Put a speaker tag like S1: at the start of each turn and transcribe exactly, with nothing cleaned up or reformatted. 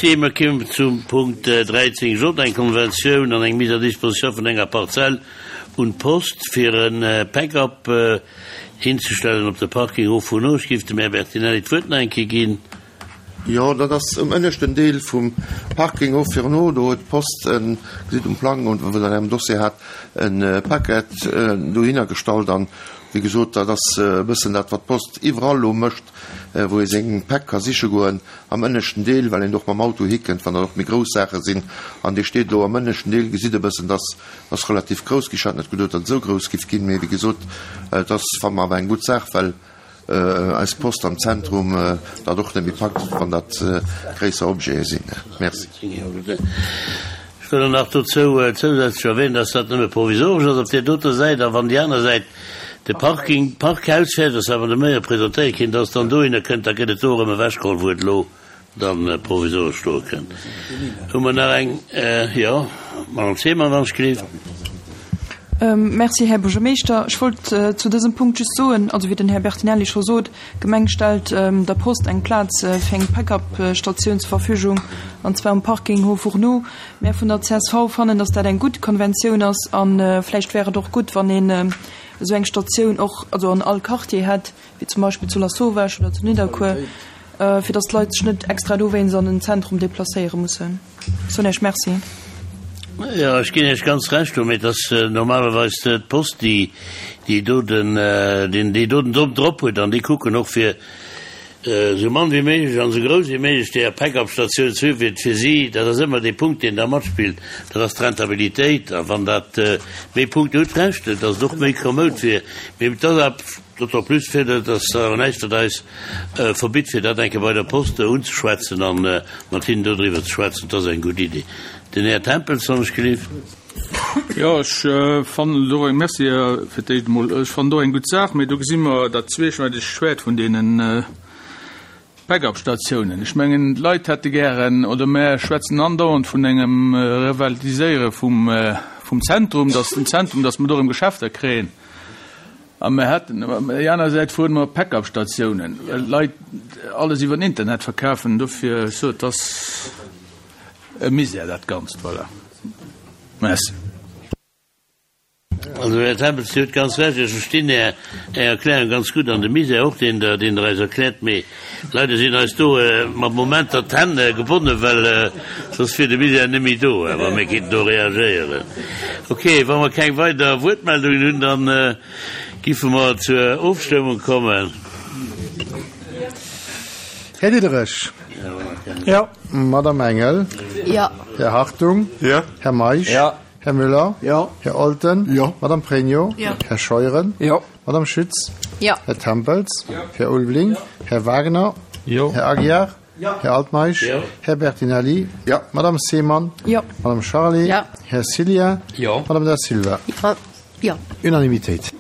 S1: Mer kommen zum Punkt dräizéng J, eng Konventioun an eng Mise à disposition vun enger Parzell un d'Post fir e Pick-up hinzestellen op de Parking Hof vun Ech géif dem Här Bertinelli d'Wuert nach eng Kéier ginn.
S2: Jo, dat ass um ënneschten Deel vum Parking Hof Virno. Do huet d'Post, gesitt um Plang und wou Der an Ärem Dossier hat, e Paquet dohinner gestallt. An, wéi gesot, dat ass e bëssen dat, wat d'Post iwwerall elo mécht, wou ee seng Päck ka siche goen am ënneschten Deel, well een och mam Auto hikënnt, wann dat och méi grouss Saache sinn. An dee steet elo am ënneschten Deel, gesitt e bëssen, dass ass relativ grouss ginn. Ech hat net geduet, datt et esou grouss giff ginn, mee wéi gesot, et ass, fanne mer, awer eng gutt Saach, well eis Post am Zentrum dat och net méi packt, wann dat gréisser Objete sinn. Merci.
S1: Ech wëll nach dozou zousätzlech erwähnen, dass dat nëmme provisoresch ass op där doter Säit, a wann déi aner Säit de Parking, Parkhaus fäerdeg ass, awer de Maire presentéiert kinn, dass dann dohinner kënnt, da gëtt et do erëm ewechgeholl, wou et elo dann provisoresch stoe kënnt. Hu mer nach eng, jo, Madame Zeman, wann ech gelift.
S3: Merci, Här Buergermeeschter. Ech wollt zu dësem Punkt just soen, also wéi den Här Bertinelli scho sot, d'Gemeng stellt der Post eng Plaz fir eng Pick-up-Statioun zur Verfügung, an zwar um Parking Haut Fourneau. Mär vun der C S V fannen, dass dat eng gutt Konventioun ass, a vläicht wär et och gutt, wann een esou eng Statioun och also an all Quartier hätt, wéi zum Beispill zu Lasauvage oder zu Nidderkuer, fir dass d'Leit sech net extra dowéinst an den Zentrum deplacéiere mussen. Soen Iech Merci.
S1: Jo, ech ginn Iech ganz Recht do, mee et ass normalerweis d'Post, déi déi do den déi do den Drock drop huet, an déi kucken och fir esou mann wéi méiglech an esou grouss wéi méiglech déi Pick-up-Statioun ze hunn, fir fir si, dat ass ëmmer dee Punkt, deen da matspillt, dat ass d'Rentabilitéit, a wann dat méi Punkte huet, Recht, et ass et och méi komoud fir, mee et ass awer d'autant plus fir, dat ass awer näischt, wat eis verbitt, fir dat eng Kéier bei der Post unzeschwätzen a mat hinnen dodriwwer ze schwätzen. Dat ass eng gutt Idee. Den Här Tempels, wann ech gelift.
S4: Jo, ech fannen do eng, Merci fir d'éischt emol, ech fannen do eng gutt Saach, mee do gesi mer dat zweeschneidegt Schwäert vun deenen Backup-Statiounen. Ech mengen, d'Leit hätte gären, oder mär schwätzen andauernd vun engem Revitaliséiere vum vum Zentrum, dass den Zentrum, dass mer do erëm Geschäfter kréien. A mer hätten, déi aner Säit fueren mer Backup-Statiounen, well d'Leit alles iwwer den Internet verkafen. Dofir, ech sot, dass e Misär dat Ganzt, voilà. Merci.
S1: Also, Här Tempels, Dir hutt ganz Recht, ech verstinn Är Erklärung ganz gutt an de Misär och, deen Der, deen Der eis erkläert, mee leider sinn eis do mat Momenter d'Hänn gebonnen, well soss wier de Misär net méi do, wa mir kéinten do reagéieren. Okay, wa mer keng weider Wuertmeldungen hunn, dann giffe mer zur Ofstëmmung kommen.
S5: Här Diderich.
S6: Jo.
S5: Madame Engel.
S7: Jo.
S5: Här Hartung.
S2: Jo.
S5: Här Meisch.
S6: Jo.
S5: Här Müller.
S6: Jo.
S5: Här Olten.
S2: Jo.
S5: Madame Pregno.
S7: Jo.
S5: Här Scheuren.
S6: Jo.
S5: Madame Schütz.
S7: Jo.
S5: Här Tempels. Här Ulveling. Här Wagner.
S4: Jo.
S5: Här Aguiar.
S6: Jo.
S5: Här Altmeisch.
S1: Jo.
S5: Här Bertinelli.
S2: Jo.
S5: Madame Seemann.
S3: Jo.
S5: Madame Charlé.
S7: Jo.
S5: Här Cillien.
S6: Jo.
S5: Madame Da Silva.
S7: Jo.
S5: Unanimitéit.